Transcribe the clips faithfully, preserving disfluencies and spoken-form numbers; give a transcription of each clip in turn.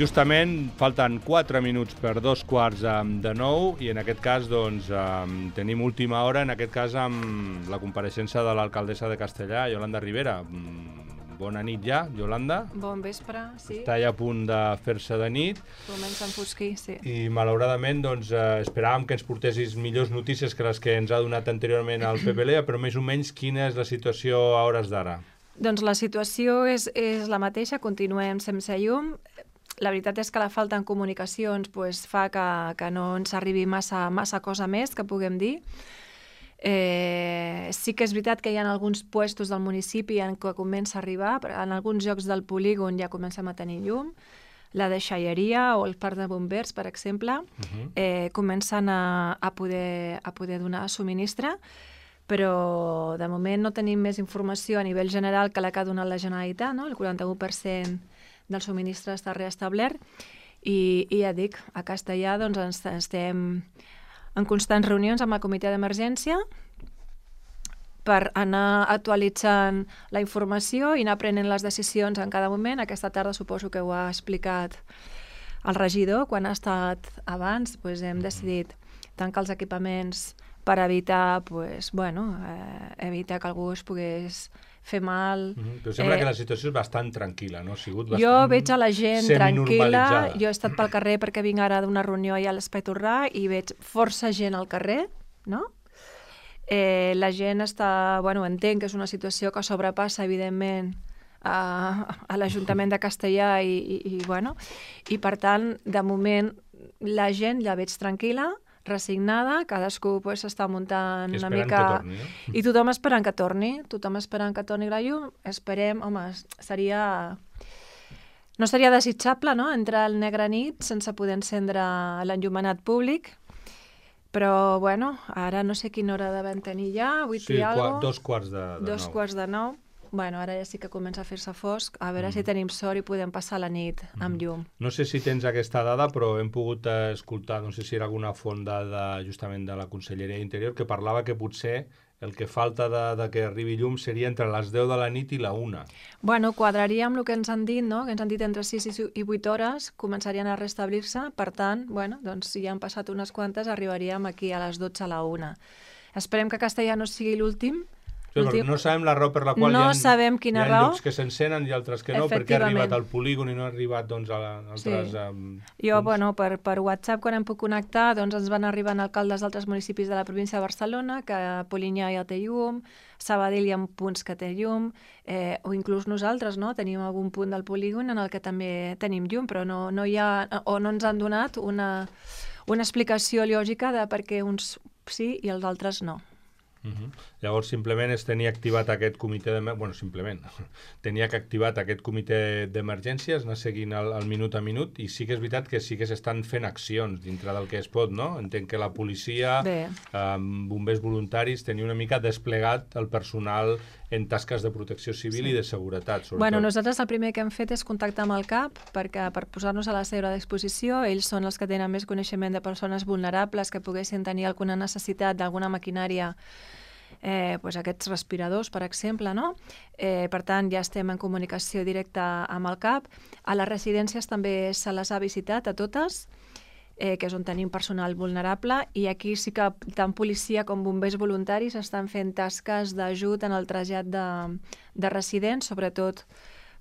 Justament falten quatre minuts per dos quarts de nou i en aquest cas doncs, tenim última hora, en aquest cas amb la compareixença de l'alcaldessa de Castellar, Iolanda Ribera. Bona nit ja, Iolanda. Bon vespre, sí. Està ja a punt de fer-se de nit. Comença a enfosquir, sí. I malauradament doncs, eh, esperàvem que ens portessis millors notícies que les que ens ha donat anteriorment al P P L E, però més o menys quina és la situació a hores d'ara? Doncs la situació és, és la mateixa, continuem sense llum. La veritat és que la falta en comunicacions pues, fa que, que no ens arribi massa, massa cosa més que puguem dir. Eh, sí que és veritat que hi ha alguns puestos del municipi en què comença a arribar, en alguns llocs del polígon ja comencem a tenir llum, la deixalleria o el parc de bombers, per exemple, uh-huh. eh, comencen a, a, poder, a poder donar subministre, però de moment no tenim més informació a nivell general que la que ha donat la Generalitat, no? El quaranta-u per cent del subministre està reestablert i, i ja dic, a Castellar doncs, ens, estem en constants reunions amb el comitè d'emergència per anar actualitzant la informació i anar prenent les decisions en cada moment. Aquesta tarda suposo que ho ha explicat el regidor, quan ha estat abans doncs hem decidit tancar els equipaments per evitar, pues, bueno, eh, evitar que algú es pogués fer mal. Mm-hmm. Però sembla eh, que la situació és bastant tranquil·la, no? Ha sigut bastant jo veig a la gent tranquil·la, jo he estat pel carrer perquè vinc ara d'una reunió allà a l'Espai Torrà i veig força gent al carrer, no? Eh, la gent està, bueno, entenc que és una situació que sobrepassa, evidentment, a, a l'Ajuntament de Castellar i, i, i, bueno, i per tant, de moment, la gent la veig tranquil·la, resignada, cadascú pues, està muntant una mica... que torni, no? I tothom esperant que torni, tothom esperant que torni la llum, esperem, home, seria... No seria desitjable, no?, entrar al negre nit sense poder encendre l'enllumenat públic, però, bueno, ara no sé quina hora devem tenir ja, vuit sí, i alguna cosa. Dos quarts de, de dos nou. quarts de nou. Bueno, ara ja sí que comença a fer-se fosc, a veure mm. si tenim sort i podem passar la nit mm. amb llum. No sé si tens aquesta dada, però hem pogut escoltar, no sé si era alguna font de, de, justament de la Conselleria d'Interior, que parlava que potser el que falta de, de que arribi llum seria entre les deu de la nit i la una. Bueno, quadraria amb el que ens han dit, no? Que ens han dit entre sis i vuit hores començarien a restablir-se, per tant, bueno, doncs si ja han passat unes quantes, arribaríem aquí a les dotze a la una. Esperem que Castellar no sigui l'últim. Sí, no sabem la raó per la qual no hi ha, sabem quina hi ha raó. llocs que s'encenen i altres que no, perquè ha arribat al polígon i no ha arribat doncs, a, la, a altres... Sí. Um, jo, doncs... bueno, per, per WhatsApp, quan em puc connectar, doncs ens van arribant alcaldes d'altres municipis de la província de Barcelona, que Polinyà ja té llum, Sabadell hi ha punts que té llum, eh, o inclús nosaltres, no?, tenim algun punt del polígon en el que també tenim llum, però no, no hi ha, o no ens han donat una, una explicació lògica de per què uns sí i els altres no. Uh-huh. Llavors simplement es tenia activat aquest comitè de... bueno, simplement tenia que activat aquest comitè d'emergències, anar seguint el, el minut a minut, i sí que és veritat que sí que s'estan fent accions dintre del que es pot, no? Entenc que la policia, eh, bombers voluntaris, tenia una mica desplegat el personal en tasques de protecció civil sí. i de seguretat, sobretot. Bueno, nosaltres el primer que hem fet és contactar amb el C A P perquè per posar-nos a la seva disposició, ells són els que tenen més coneixement de persones vulnerables que poguessin tenir alguna necessitat d'alguna maquinària, eh, pues aquests respiradors, per exemple, no? Eh, per tant, ja estem en comunicació directa amb el C A P. A les residències també se les ha visitat a totes, eh, que és on tenim personal vulnerable, i aquí sí que tant policia com bombers voluntaris estan fent tasques d'ajut en el trasllat de, de residents, sobretot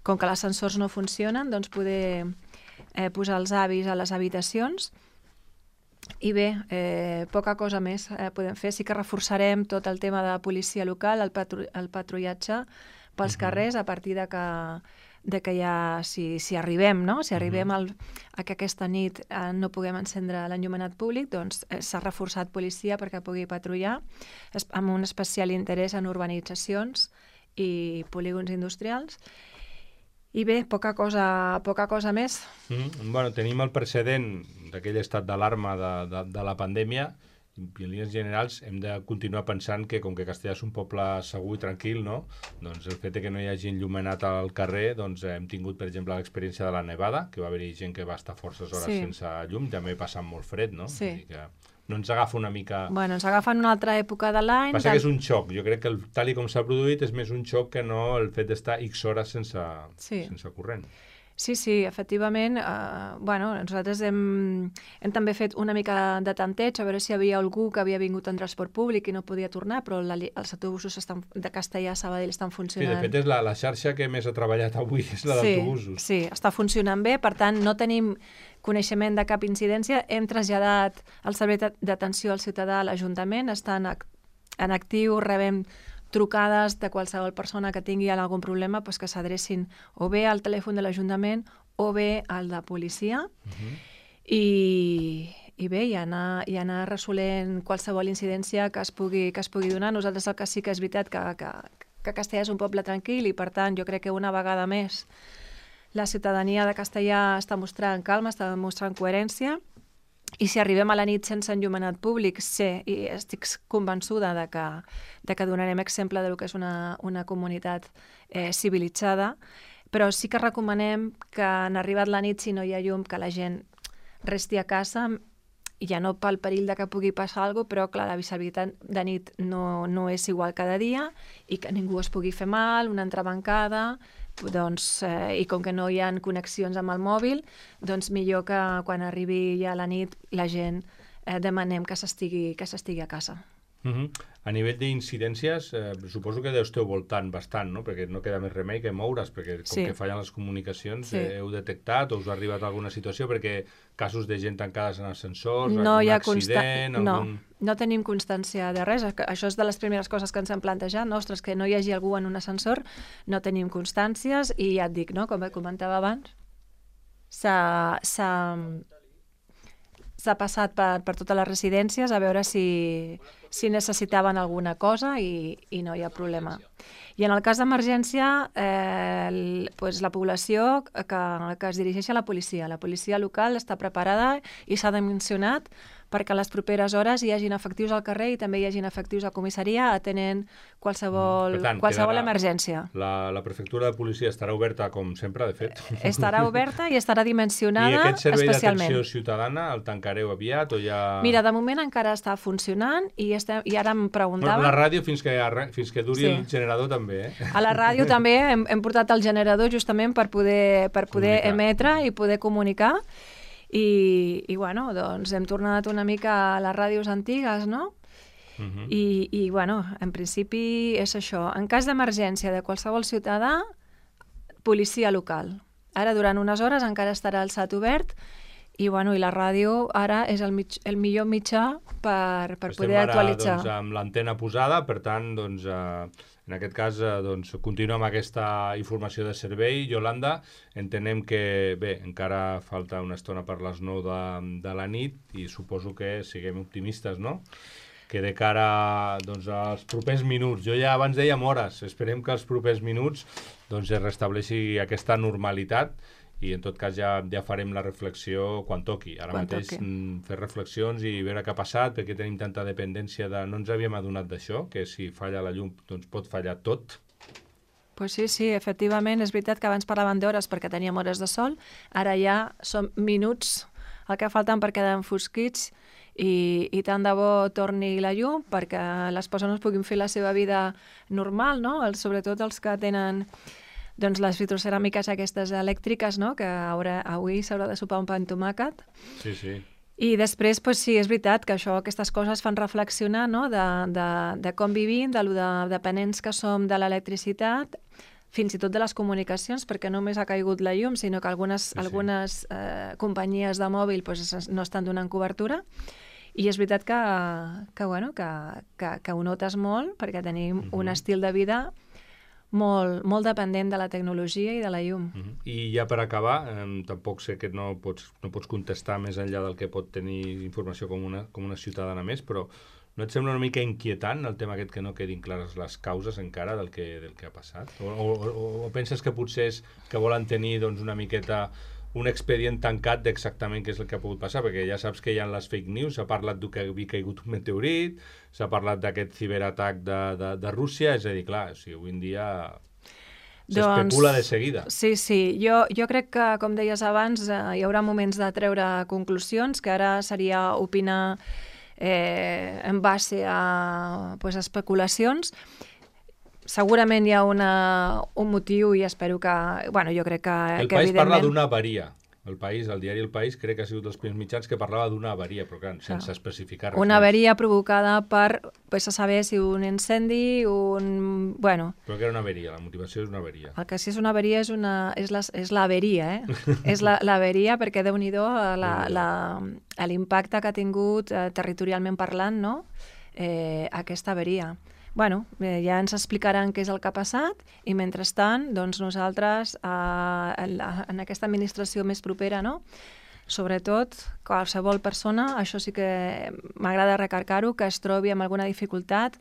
com que els ascensors no funcionen, doncs poder eh, posar els avis a les habitacions. I bé, eh, poca cosa més eh, podem fer. Sí que reforçarem tot el tema de policia local, el, patru el patrullatge pels uh-huh. carrers, a partir de que, de que ja, si, si arribem, no? Si arribem al, a que aquesta nit eh, no puguem encendre l'enllumenat públic, doncs eh, s'ha reforçat policia perquè pugui patrullar, amb un especial interès en urbanitzacions i polígons industrials. I bé, poca cosa, poca cosa més. Mm, bueno, tenim el precedent d'aquell estat d'alarma de, de, de la pandèmia, i en línies generals hem de continuar pensant que com que Castellar és un poble segur i tranquil, no? Doncs el fet que no hi hagi enllumenat al carrer, doncs hem tingut, per exemple, l'experiència de la nevada, que va haver-hi gent que va estar forces hores sí. sense llum, també passant molt fred, no? Sí. Vull dir que no ens agafa una mica... Bueno, ens agafa en una altra època de l'any... Passa que és un xoc. Jo crec que el, tal i com s'ha produït és més un xoc que no el fet d'estar X hores sense, sí. sense corrent. Sí, sí, efectivament. Eh, bueno, nosaltres hem, hem també fet una mica de tanteig a veure si hi havia algú que havia vingut en transport públic i no podia tornar, però la, els autobusos estan, de Castellà a Sabadell estan funcionant. Sí, de fet, és la, la xarxa que més ha treballat avui, és la sí, d'autobusos. Sí, està funcionant bé, per tant, no tenim coneixement de cap incidència. Hem traslladat el servei d'atenció al ciutadà a l'Ajuntament, estan en actiu, rebem trucades de qualsevol persona que tingui algun problema, doncs que s'adrecin o bé al telèfon de l'Ajuntament o bé al de policia. Uh-huh. I, i bé, i anar, i anar resolent qualsevol incidència que es pugui, que es pugui donar. Nosaltres el que sí que és veritat que, que, que Castellà és un poble tranquil i, per tant, jo crec que una vegada més la ciutadania de Castellà està mostrant calma, està mostrant coherència. I si arribem a la nit sense enllumenat públic, sé i estic convençuda de que, de que donarem exemple del que és una, una comunitat eh, civilitzada, però sí que recomanem que en arribat la nit, si no hi ha llum, que la gent resti a casa, ja no pel perill de que pugui passar alguna cosa, però clar, la visibilitat de nit no, no és igual cada dia i que ningú es pugui fer mal, una entrebancada, doncs, eh, i com que no hi ha connexions amb el mòbil, doncs millor que quan arribi ja la nit la gent eh, demanem que s'estigui que s'estigui a casa. Uh-huh. A nivell d'incidències, eh, suposo que deu esteu voltant bastant, no? Perquè no queda més remei que moure's, perquè com sí. que fallen les comunicacions, sí. eh, heu detectat o us ha arribat alguna situació, perquè casos de gent tancades en ascensors, no algun hi ha accident... Consta... Algun... No, no tenim constància de res. Això és de les primeres coses que ens hem plantejat. No? Ostres, que no hi hagi algú en un ascensor, no tenim constàncies i ja et dic, no? Com comentava abans, s'ha... s'ha s'ha passat per, per totes les residències a veure si, si necessitaven alguna cosa i, i no hi ha problema. I en el cas d'emergència, eh, el, pues la població que, que es dirigeix a la policia. La policia local està preparada i s'ha dimensionat perquè a les properes hores hi hagin efectius al carrer i també hi hagin efectius a comissaria atenent qualsevol, tant, qualsevol quedarà, emergència. La, la prefectura de policia estarà oberta com sempre, de fet. Estarà oberta i estarà dimensionada especialment. I aquest servei d'atenció ciutadana el tancareu aviat o ja... Mira, de moment encara està funcionant i, estem, i ara em preguntava... Bueno, la ràdio fins que, fins que duri sí. el generador també, eh? A la ràdio també hem, hem portat el generador justament per poder, per poder emetre i poder comunicar. I, i bueno, doncs hem tornat una mica a les ràdios antigues, no? Uh-huh. I, i bueno, en principi és això. En cas d'emergència de qualsevol ciutadà, policia local. Ara, durant unes hores, encara estarà el S A T obert i, bueno, i la ràdio ara és el, mig, el millor mitjà per, per poder ara, actualitzar. Doncs, amb l'antena posada, per tant, doncs, eh, en aquest cas, eh, doncs, continuem amb aquesta informació de servei. Yolanda, entenem que, bé, encara falta una estona per les nou de, de la nit i suposo que siguem optimistes, no? Que de cara doncs, als propers minuts, jo ja abans dèiem hores, esperem que els propers minuts doncs, es restableixi aquesta normalitat i en tot cas ja, ja farem la reflexió quan toqui. Ara quan mateix toqui. Fer reflexions i veure què ha passat, perquè tenim tanta dependència de... No ens havíem adonat d'això, que si falla la llum doncs pot fallar tot. Pues sí, sí, efectivament, és veritat que abans parlaven d'hores perquè teníem hores de sol, ara ja són minuts el que falten per quedar enfosquits i, i tant de bo torni la llum perquè les persones puguin fer la seva vida normal, no? El, sobretot els que tenen... doncs les vitroceràmiques aquestes elèctriques, no? Que haurà, avui s'haurà de sopar un pa amb tomàquet. Sí, sí. I després, pues, sí, és veritat que això, aquestes coses fan reflexionar, no? de, de, de com vivim, de lo de dependents que som de l'electricitat, fins i tot de les comunicacions, perquè no només ha caigut la llum, sinó que algunes, sí, sí. algunes eh, companyies de mòbil pues, no estan donant cobertura. I és veritat que, que, bueno, que, que, que ho notes molt, perquè tenim uh-huh. un estil de vida molt, molt dependent de la tecnologia i de la llum. Uh-huh. I ja per acabar, eh, tampoc sé que no pots, no pots contestar més enllà del que pot tenir informació com una, com una ciutadana més, però no et sembla una mica inquietant el tema aquest que no quedin clares les causes encara del que, del que ha passat? O, o, o, o penses que potser és que volen tenir doncs, una miqueta un expedient tancat d'exactament què és el que ha pogut passar, perquè ja saps que hi ha les fake news, s'ha parlat que havia caigut un meteorit, s'ha parlat d'aquest ciberatac de, de, de Rússia, és a dir, clar, o sigui, avui en dia s'especula doncs, de seguida. Sí, sí, jo, jo crec que, com deies abans, eh, hi haurà moments de treure conclusions, que ara seria opinar eh, en base a pues, especulacions. segurament hi ha una, un motiu i espero que... Bueno, jo crec que... El que País evidentment... parla d'una avaria. El País, el diari El País, crec que ha sigut dels primers mitjans que parlava d'una avaria, però clar, sense especificar res. Una avaria provocada per, pues, a saber si un incendi, un... Bueno... Però que era una avaria, la motivació és una avaria. El que sí és una avaria és, una, és, la, és l'averia, eh? És l'averia perquè, Déu-n'hi-do, l'impacte que ha tingut eh, territorialment parlant, no? Eh, aquesta avaria. Bueno, eh, ja ens explicaran què és el que ha passat i, mentrestant, doncs nosaltres, eh, en, la, en aquesta administració més propera, no?, sobretot, qualsevol persona, això sí que m'agrada recarcar-ho, que es trobi amb alguna dificultat,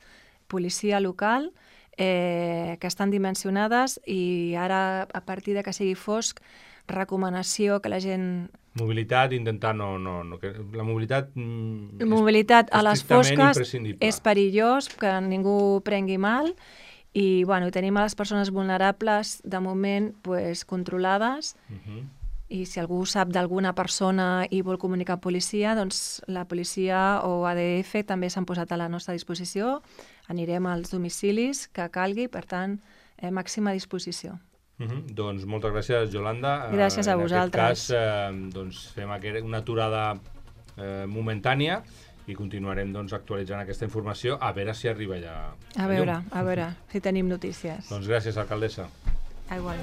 policia local, eh, que estan dimensionades i ara, a partir de que sigui fosc, recomanació que la gent... Mobilitat, intentar no... no, no que la mobilitat... Mm, la mobilitat a les fosques és perillós, que ningú prengui mal, i bueno, tenim a les persones vulnerables, de moment, pues, controlades, uh-huh. I si algú sap d'alguna persona i vol comunicar a policia, doncs la policia o A D F també s'han posat a la nostra disposició, anirem als domicilis que calgui, per tant, eh, màxima disposició. Uh-huh. Doncs moltes gràcies, Yolanda. Gràcies a en vosaltres. En aquest cas, eh, doncs, fem una aturada eh, momentània i continuarem doncs, actualitzant aquesta informació, a veure si arriba ja a, a veure, llum. A veure si tenim notícies. Doncs gràcies, alcaldessa. Ah, igual.